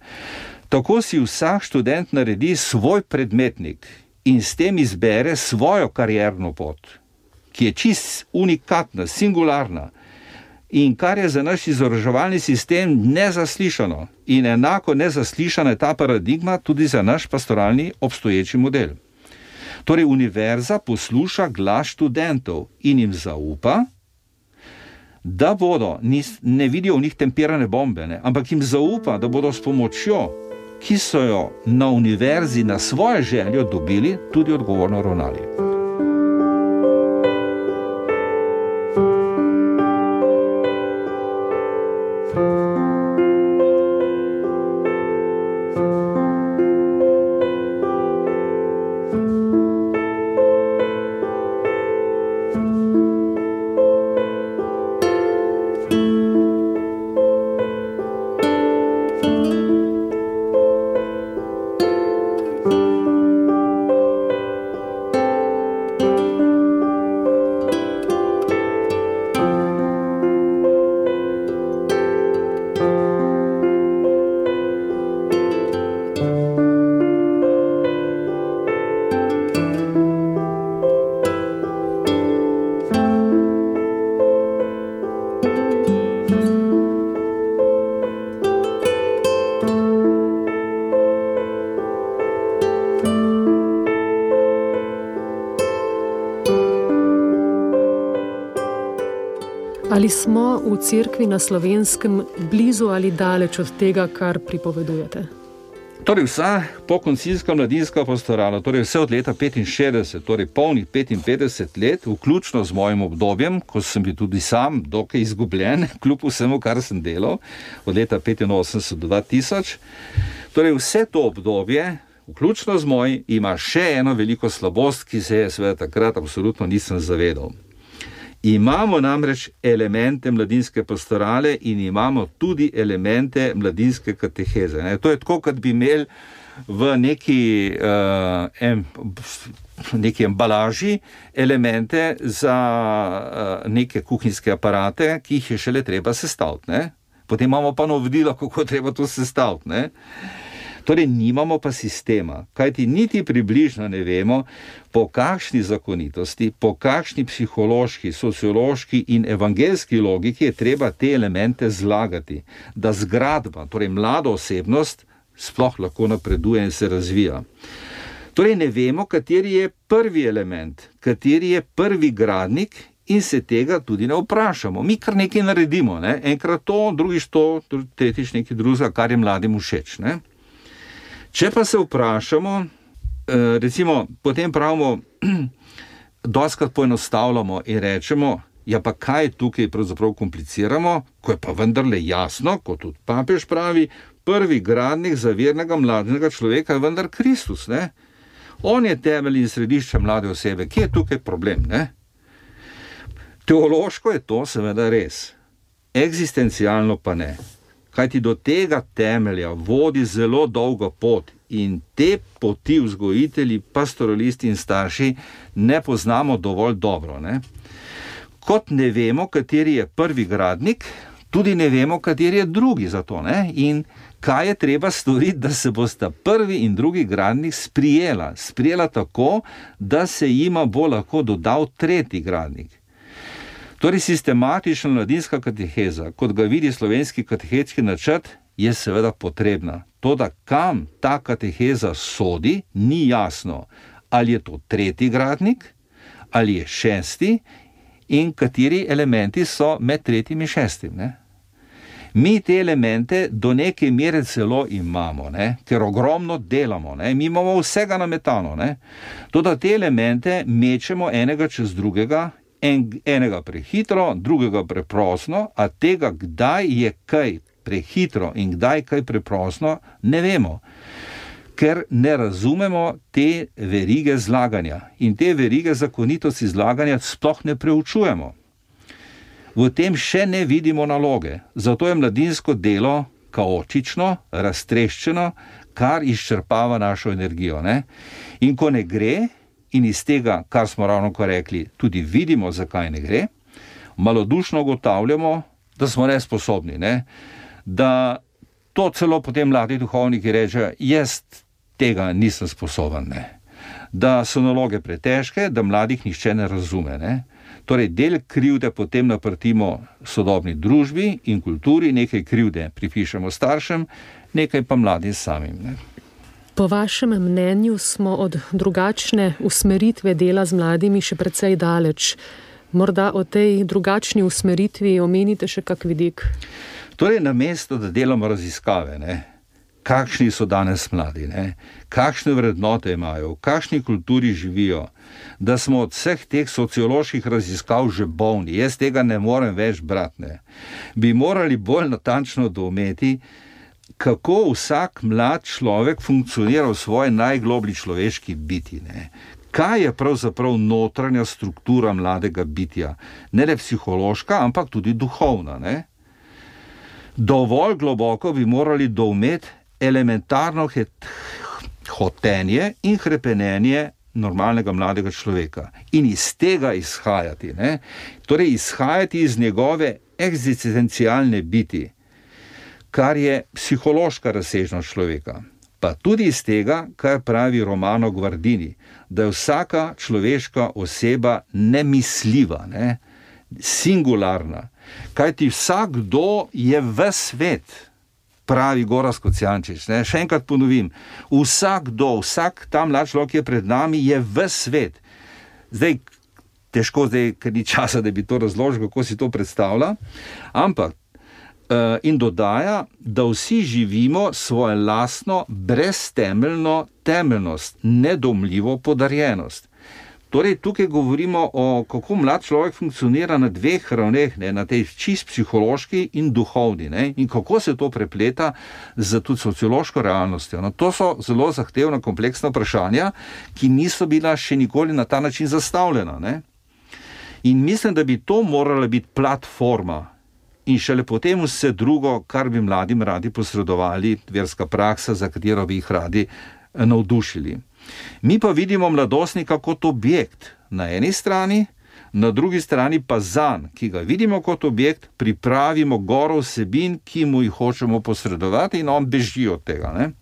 Tako si vsak študent naredi svoj predmetnik in s tem izbere svojo karierno pot, ki je čist unikatna, singularna in kar je za naš izobraževalni sistem nezaslišano in enako nezaslišana je ta paradigma tudi za naš pastoralni obstoječi model. Torej, univerza posluša glas študentov in jim zaupa, da bodo, ne vidijo v njih tempirane bombe, ne, ampak jim zaupa, da bodo s pomočjo, ki so jo na univerzi na svojo željo dobili, tudi odgovorno ravnali. Ali smo v cerkvi na Slovenskem blizu ali daleč od tega, kar pripovedujete? Torej vsa pokoncilska mladinska pastorala, torej vse od leta 65, torej polnih 55 let, vključno z mojim obdobjem, ko sem bil tudi sam dokaj izgubljen, kljub vsemu, kar sem delal, od leta 85 do 2000. Torej vse to obdobje, vključno z mojim, ima še eno veliko slabost, ki se je seveda takrat absolutno nisem zavedal. Imamo namreč elemente mladinske pastorale in imamo tudi elemente mladinske kateheze. Ne? To je tako, kot bi imeli v neki embalaži elemente za neke kuhinjske aparate, ki jih je šele treba sestaviti. Ne? Potem imamo pa navodila, kako treba to sestaviti. Ne? Torej, nimamo pa sistema, kajti niti približno ne vemo, po kakšni zakonitosti, po kakšni psihološki, sociološki in evangeljski logiki je treba te elemente zlagati, da zgradba, torej mlada osebnost, sploh lahko napreduje in se razvija. Torej, ne vemo, kateri je prvi element, kateri je prvi gradnik in se tega tudi ne vprašamo. Mi kar nekaj naredimo, ne? Enkrat to, drugič to, tretjič nekaj drugega, kar je mladim všeč. Ne? Če pa se vprašamo, recimo, potem pravimo, dostikrat poenostavljamo in rečemo, ja pa kaj tukaj pravzaprav kompliciramo, ko je pa vendarle jasno, kot tudi papež pravi, prvi gradnik zavernega mladega človeka je vendar Kristus, ne? On je temelj in središče mlade osebe. Kje je tukaj problem, ne? Teološko je to seveda res, eksistencialno pa ne. Kajti do tega temelja vodi zelo dolga pot in te poti vzgojitelji, pastoralisti in starši ne poznamo dovolj dobro, ne? Kot ne vemo, kateri je prvi gradnik, tudi ne vemo, kateri je drugi za to, ne? In kaj je treba storiti, da se bosta prvi in drugi gradnik sprijela tako, da se jima bo lahko dodal tretji gradnik. Torej, sistematična mladinska kateheza, kot ga vidi slovenski katehetski načrt, je seveda potrebna. Toda kam ta kateheza sodi, ni jasno. Ali je to tretji gradnik, ali je šesti in kateri elementi so med tretjim in šestim, ne? Mi te elemente do neke mere celo imamo, ne? Ker ogromno delamo, ne? Mi imamo vsega nametano, ne? Toda te elemente mečemo enega čez drugega, enega prehitro, drugega preprosto, a tega, kdaj je kaj prehitro in kdaj kaj preprosto, ne vemo, ker ne razumemo te verige zlaganja in te verige zakonitosti zlaganja sploh ne preučujemo. V tem še ne vidimo naloge, zato je mladinsko delo kaotično, raztreščeno, kar izčrpava našo energijo, ne? In ko ne gre, in iz tega, kar smo ravnokar rekli, tudi vidimo, zakaj ne gre, malodušno ugotavljamo, da smo nesposobni, ne? Da to celo potem mladi duhovniki rečejo, jaz tega nisem sposoben, ne? Da so naloge pretežke, da mladih nihče ne razume, ne? Torej, del krivde potem naprtimo sodobni družbi in kulturi, nekaj krivde pripišemo staršem, nekaj pa mladim samim, ne? Po vašem mnenju smo od drugačne usmeritve dela z mladimi še precej daleč. Morda o tej drugačni usmeritvi omenite še kak vidik? Torej, namesto, da delamo raziskave, ne? Kakšni so danes mladi, ne? Kakšne vrednote imajo, v kakšni kulturi živijo, da smo od vseh teh socioloških raziskav že bolni, jaz tega ne morem več brati, ne? Bi morali bolj natančno doumeti, kako vsak mlad človek funkcionira v svoji najgloblji človeški biti, ne? Kaj je pravzaprav notranja struktura mladega bitja? Ne le psihološka, ampak tudi duhovna, ne? Dovolj globoko bi morali doumeti elementarno hotenje in hrepenenje normalnega mladega človeka in iz tega izhajati, ne? Torej izhajati iz njegove eksistencialne biti, kar je psihološka razsežnost človeka, pa tudi iz tega, kar pravi Romano Guardini, da je vsaka človeška oseba nemisljiva, ne? Singularna, kajti vsakdo je ves svet, pravi Gorazd Kocijančič, ne? Še enkrat ponovim, vsak ta mlad človek, ki je pred nami, je ves svet. Zdaj, težko ker ni časa, da bi to razložil, kako si to predstavlja, ampak in dodaja, da vsi živimo svojo lastno breztemeljno temeljnost, nedomljivo podarjenost. Torej, tukaj govorimo o kako mlad človek funkcionira na dveh ravneh, ne, na tej čist psihološki in duhovni, ne, in kako se to prepleta z tudi sociološko realnostjo. No, to so zelo zahtevna, kompleksna vprašanja, ki niso bila še nikoli na ta način zastavljena, ne. In mislim, da bi to morala biti platforma in šele potem vse drugo, kar bi mladim radi posredovali, verska praksa, za katero bi jih radi navdušili. Mi pa vidimo mladostnika kot objekt na eni strani, na drugi strani pa zanj, ki ga vidimo kot objekt, pripravimo goro vsebin, ki mu jih hočemo posredovati in on beži od tega, ne?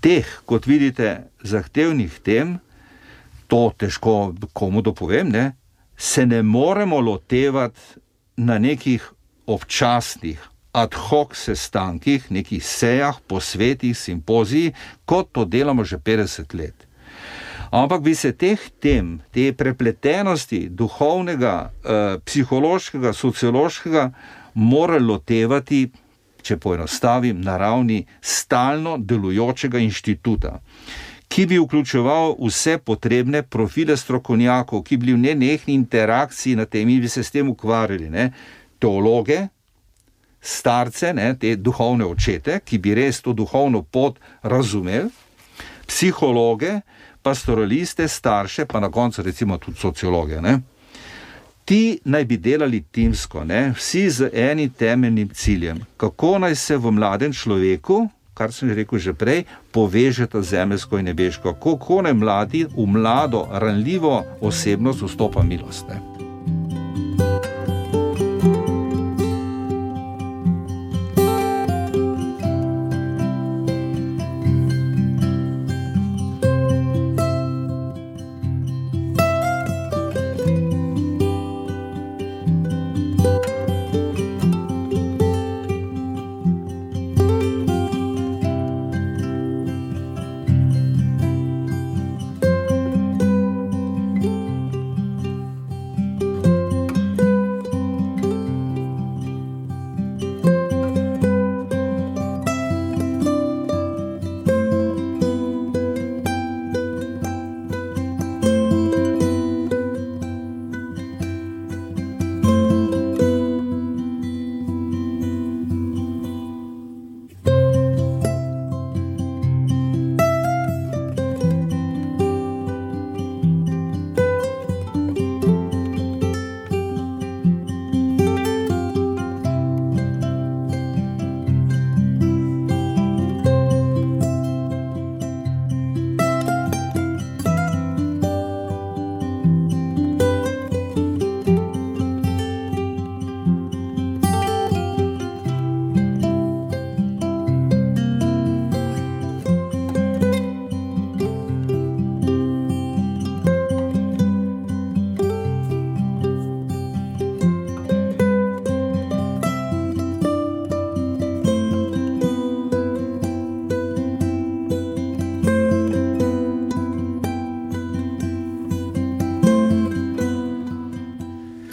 teh, kot vidite, zahtevnih tem, to težko komu dopovem, ne, se ne moremo lotevati na nekih občasnih, ad hoc sestankih, nekih sejah, posvetih, simpoziji, kot to delamo že 50 let. Ampak bi se teh tem, te prepletenosti duhovnega, psihološkega, sociološkega morali lotevati, če poenostavim, na ravni stalno delujočega inštituta, ki bi vključeval vse potrebne profile strokovnjakov, ki bi bili v nenehni interakciji na temi, bi se s tem ukvarjali, ne? Teologe, starce, ne? Te duhovne očete, ki bi res to duhovno pot razumeli, psihologe, pastoraliste, starše, pa na koncu recimo tudi sociologe, ne? Ti naj bi delali timsko, ne? Vsi z enim temeljnim ciljem, kako naj se v mladem človeku, kar sem rekel že prej, povežeta zemeljsko in nebeško, kako naj mladi v mlado, ranljivo osebnost vstopa milost, ne?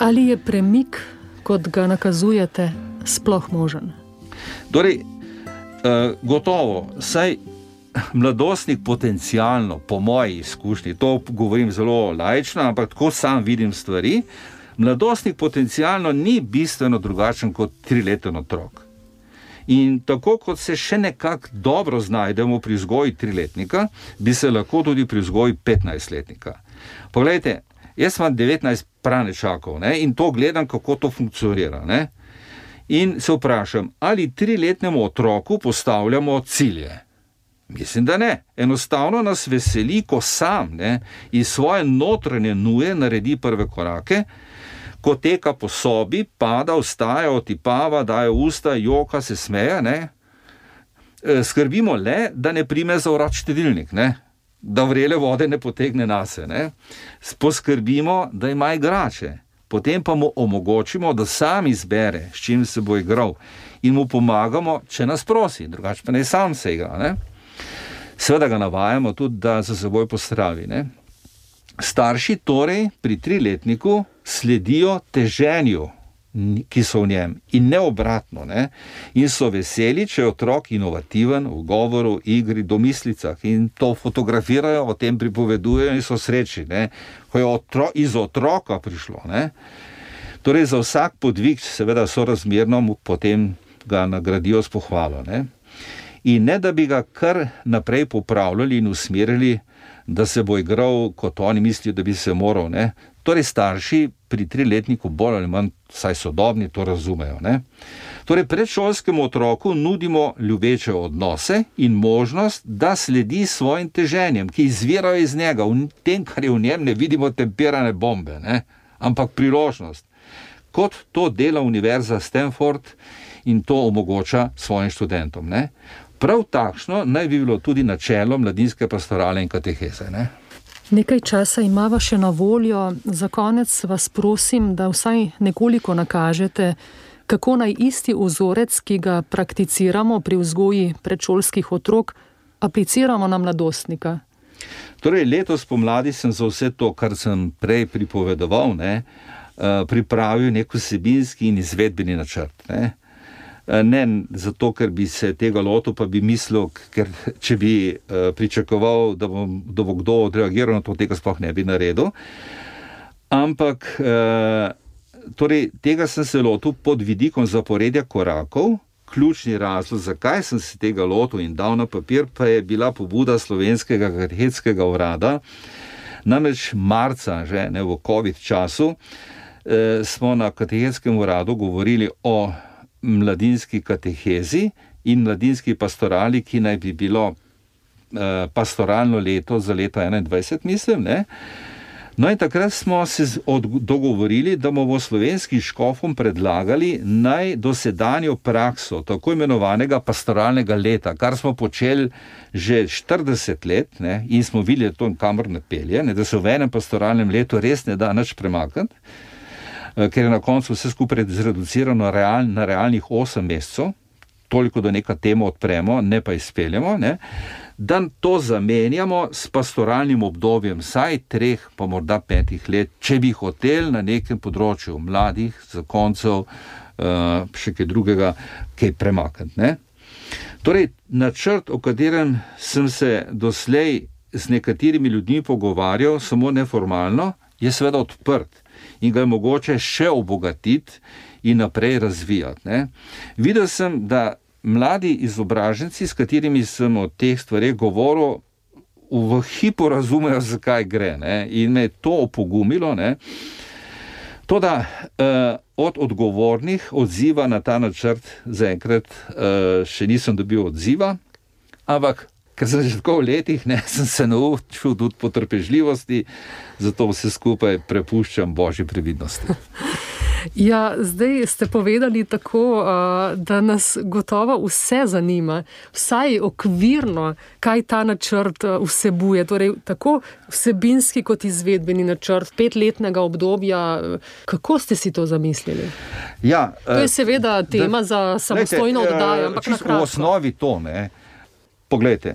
Ali je premik, kot ga nakazujete, sploh možen? Torej, gotovo, saj mladostnik potencialno, po moji izkušnji, to govorim zelo laično, ampak tako sam vidim stvari, mladostnik potencialno ni bistveno drugačen kot 3-leten otrok. In tako kot se še nekako dobro znajdemo pri vzgoji 3-letnika, bi se lahko tudi pri vzgoji 15-letnika. Poglejte, jaz imam 19 pranečakov, ne, in to gledam, kako to funkcionira, ne. In se vprašam, ali 3-letnemu otroku postavljamo cilje? Mislim, da ne. Enostavno nas veseli, ko sam, ne, iz svoje notranje nuje naredi prve korake, ko teka po sobi, pada, vstaja, otipava, daje usta, joka, se smeje, ne. Skrbimo le, da ne prime za vrat štedilnik, ne, da vrele vode ne potegne nase, ne. Poskrbimo, da ima igrače. Potem pa mu omogočimo, da sam izbere, s čim se bo igral, in mu pomagamo, če nas prosi, drugače pa ne sam se igra, ne. Seveda ga navajamo tudi, da za seboj pospravi, ne. Starši torej pri 3-letniku sledijo teženju, ki so v njem, in ne obratno, ne. In so veseli, če je otrok inovativen v govoru, igri, domislicah, in to fotografirajo, o tem pripovedujejo in so srečni, ne. Ko je iz otroka prišlo, ne. Torej za vsak podvig seveda sorazmerno mu potem ga nagradijo s pohvalo, ne. In ne da bi ga kar naprej popravljali in usmerili, da se bo igral, kot oni mislijo, da bi se moral, ne. Torej starši pri 3-letniku bolj ali manj, saj sodobni, to razumejo, ne. Torej predšolskemu otroku nudimo ljubeče odnose in možnost, da sledi svojim teženjem, ki izvirajo iz njega. V tem, kar je v njem, ne vidimo temperane bombe, ne, ampak priložnost. kot to dela Univerza Stanford in to omogoča svojim študentom. Ne? Prav takšno naj bi bilo tudi načelo mladinske pastorale in kateheze. Ne? Nekaj časa imava še na voljo. Za konec vas prosim, da vsaj nekoliko nakažete, kako naj isti vzorec, ki ga prakticiramo pri vzgoji predšolskih otrok, apliciramo na mladostnika. Torej, letos pomladi sem za vse to, kar sem prej pripovedoval, pripravil nek vsebinski in izvedbeni načrt. Ne zato, ker bi se tega lotil, pa bi mislil, ker če bi pričakoval, da bo kdo odreagiral na to, tega sploh ne bi naredil. Ampak torej, tega sem se lotil pod vidikom zaporedja korakov. Ključni razlog, zakaj sem se tega lotil in dal na papir, pa je bila pobuda Slovenskega katechetskega urada. Namreč marca, že ne v COVID času, smo na katechetskem uradu govorili o mladinski katehezi in mladinski pastorali, ki naj bi bilo pastoralno leto za leto 2021, mislim, ne? No in takrat smo se dogovorili, da bomo slovenskim škofom predlagali naj dosedanjo prakso tako imenovanega pastoralnega leta, kar smo počeli že 40 let, ne, in smo videli to, kamor napelje, ne, da se v enem pastoralnem letu res ne da nič premakniti, ker je na koncu vse skupaj zreducirano na realnih 8 mesecev, toliko, da neka temo odpremo, ne pa izpeljemo, ne, da to zamenjamo s pastoralnim obdobjem vsaj 3, pa morda 5 let, če bi hoteli na nekem področju mladih, zakoncev, še kaj drugega, kaj premakniti. Ne? Torej, načrt, o katerem sem se doslej z nekaterimi ljudmi pogovarjal, samo neformalno, je seveda odprt in ga je mogoče še obogatiti in naprej razvijati. Ne? Videl sem, da mladi izobraženci, s katerimi sem o teh stvareh govoril, v hipu razumejo, zakaj gre, ne? In me je to opogumilo. Ne? Toda od odgovornih odziva na ta načrt zaenkrat še nisem dobil odziva, ampak ker sem že tako v letih, ne, sem se naučil tudi potrpežljivosti, zato vse skupaj prepuščam Božji previdnosti. Ja, zdaj ste povedali tako, da nas gotovo vse zanima, vsaj okvirno, kaj ta načrt vsebuje, torej tako vsebinski kot izvedbeni načrt 5-letnega obdobja. Kako ste si to zamislili? Ja, to je seveda tema za samostojno oddajo, ampak na kratko. V osnovi to, ne. Poglejte,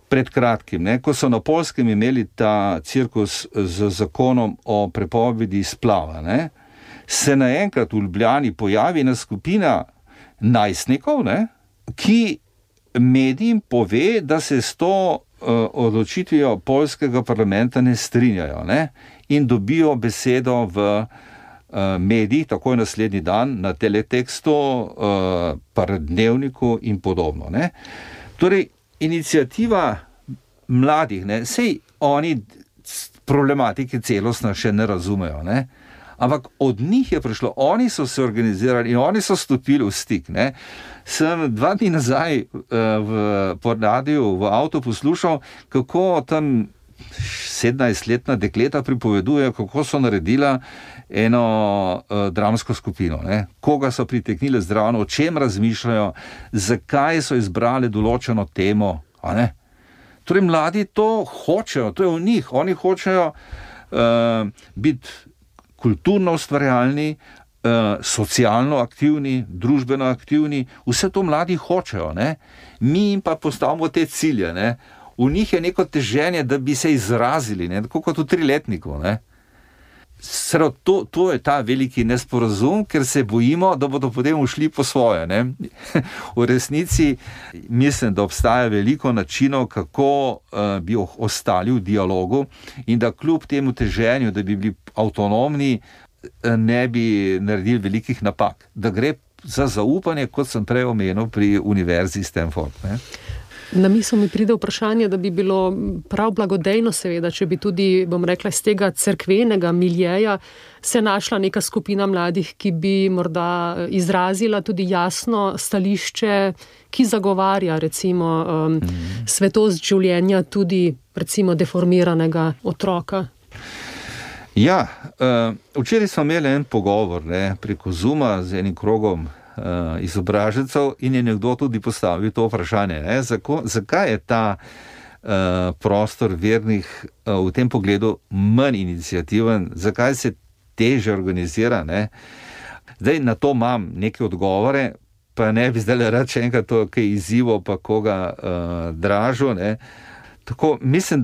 pred kratkim, ne, ko so na Poljskem imeli ta cirkus z zakonom o prepovedi splava, ne, se naenkrat v Ljubljani pojavi ena skupina najstnikov, ne, ki medijem pove, da se s to odločitvijo poljskega parlamenta ne strinjajo, ne, in dobijo besedo v medijih, takoj naslednji dan, na teletekstu, Dnevniku in podobno. Ne. Torej, iniciativa mladih, ne, sej oni problematike celostno še ne razumejo, ne, ampak od njih je prišlo, oni so se organizirali in oni so stopili v stik. Ne. Sem 2 dni nazaj po radiju v avtu poslušal, kako tam 17-letna dekleta pripovedujejo, kako so naredila eno dramsko skupino, ne. Koga so priteknili zraven, o čem razmišljajo, zakaj so izbrali določeno temo. A ne? Torej, mladi to hočejo, to je v njih, oni hočejo biti kulturno ustvarjalni, socialno aktivni, družbeno aktivni, vse to mladi hočejo, ne? Mi jim pa postavimo te cilje, ne? V njih je neko teženje, da bi se izrazili, ne? Tako kot v 3-letniku, ne? To je ta veliki nesporazum, ker se bojimo, da bodo potem ušli po svoje, ne? V resnici mislim, da obstaja veliko načinov, kako bi ostali v dialogu in da kljub temu teženju, da bi bili avtonomni, ne bi naredili velikih napak. Da gre za zaupanje, kot sem prej omenil pri Univerzi Stanford, ne? Na misel mi pride vprašanje, da bi bilo prav blagodejno seveda, če bi tudi, bom rekla, iz tega cerkvenega miljeja se našla neka skupina mladih, ki bi morda izrazila tudi jasno stališče, ki zagovarja recimo svetost življenja tudi recimo deformiranega otroka. Ja, včeraj smo imeli en pogovor preko Zooma z enim krogom izobražencev in je nekdo tudi postavil to vprašanje. Zakaj je ta prostor vernih v tem pogledu manj iniciativen, zakaj se teže organizira? Zdaj na to imam neke odgovore, pa ne bi zdaj rad še enkrat to, kaj izzivo, pa koga dražo. Tako, mislim,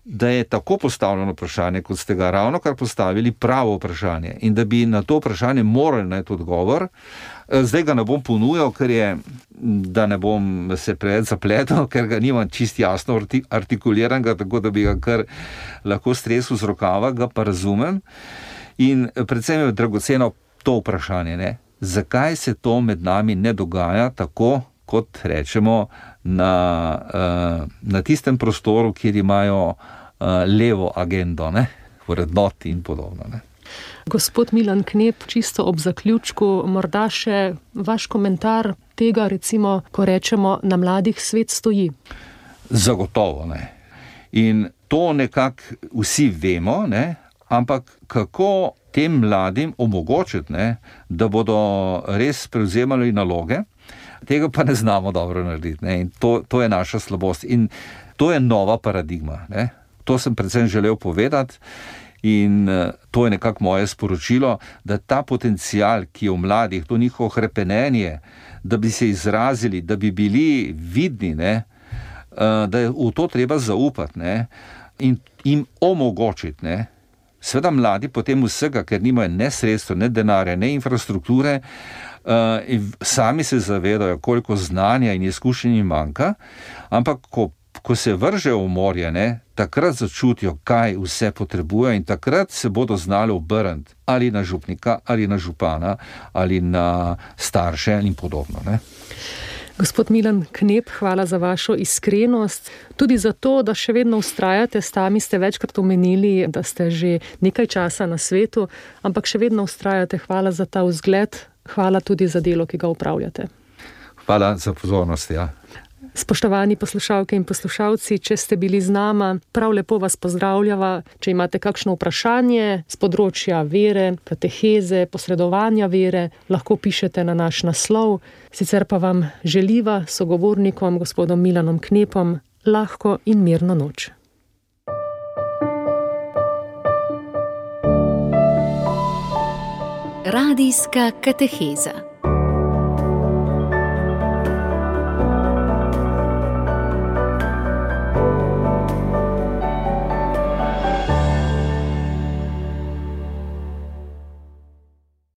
da je tako postavljeno vprašanje, kot ste ga ravno kar postavili, pravo vprašanje in da bi na to vprašanje morali najti odgovor. Zdaj ga ne bom ponujal, da ne bom se preveč zapletel, ker ga nimam čisto jasno artikuliranega, tako da bi ga kar lahko stresel z rokava, ga pa razumem. In predvsem je dragoceno to vprašanje, zakaj se to med nami ne dogaja tako, kot rečemo, na tistem prostoru, kjer imajo levo agendo, vrednoti in podobno. Gospod Milan Knep, čisto ob zaključku, morda še vaš komentar tega, recimo, ko rečemo, na mladih svet stoji. Zagotovo, In to nekako vsi vemo, ampak kako tem mladim omogočiti, da bodo res prevzemali naloge, tega pa ne znamo dobro narediti. In to je naša slabost. In to je nova paradigma. To sem predvsem želel povedati in to je nekako moje sporočilo, da ta potencial, ki je v mladih, to njihovo hrepenenje, da bi se izrazili, da bi bili vidni, da je v to treba zaupati in jim omogočiti. Seveda mladi potem vsega, ker nimajo ne sredstva, ne denarja, ne infrastrukture, sami se zavedajo, koliko znanja in izkušenj jim manjka, ampak ko se vržejo v morje, takrat začutijo, kaj vse potrebujejo in takrat se bodo znali obrniti ali na župnika, ali na župana, ali na starše in podobno. Gospod Milan Knep, hvala za vašo iskrenost, tudi za to, da še vedno vztrajate, sami ste večkrat omenili, da ste že nekaj časa na svetu, ampak še vedno vztrajate. Hvala za ta vzgled, hvala tudi za delo, ki ga upravljate. Hvala za pozornost, Spoštovani poslušalke in poslušalci, če ste bili z nama, prav lepo vas pozdravljava. Če imate kakšno vprašanje z področja vere, kateheze, posredovanja vere, lahko pišete na naš naslov. Sicer pa vam želiva sogovornikom, gospodom Milanom Knepom, lahko in mirno noč. Radijska kateheza.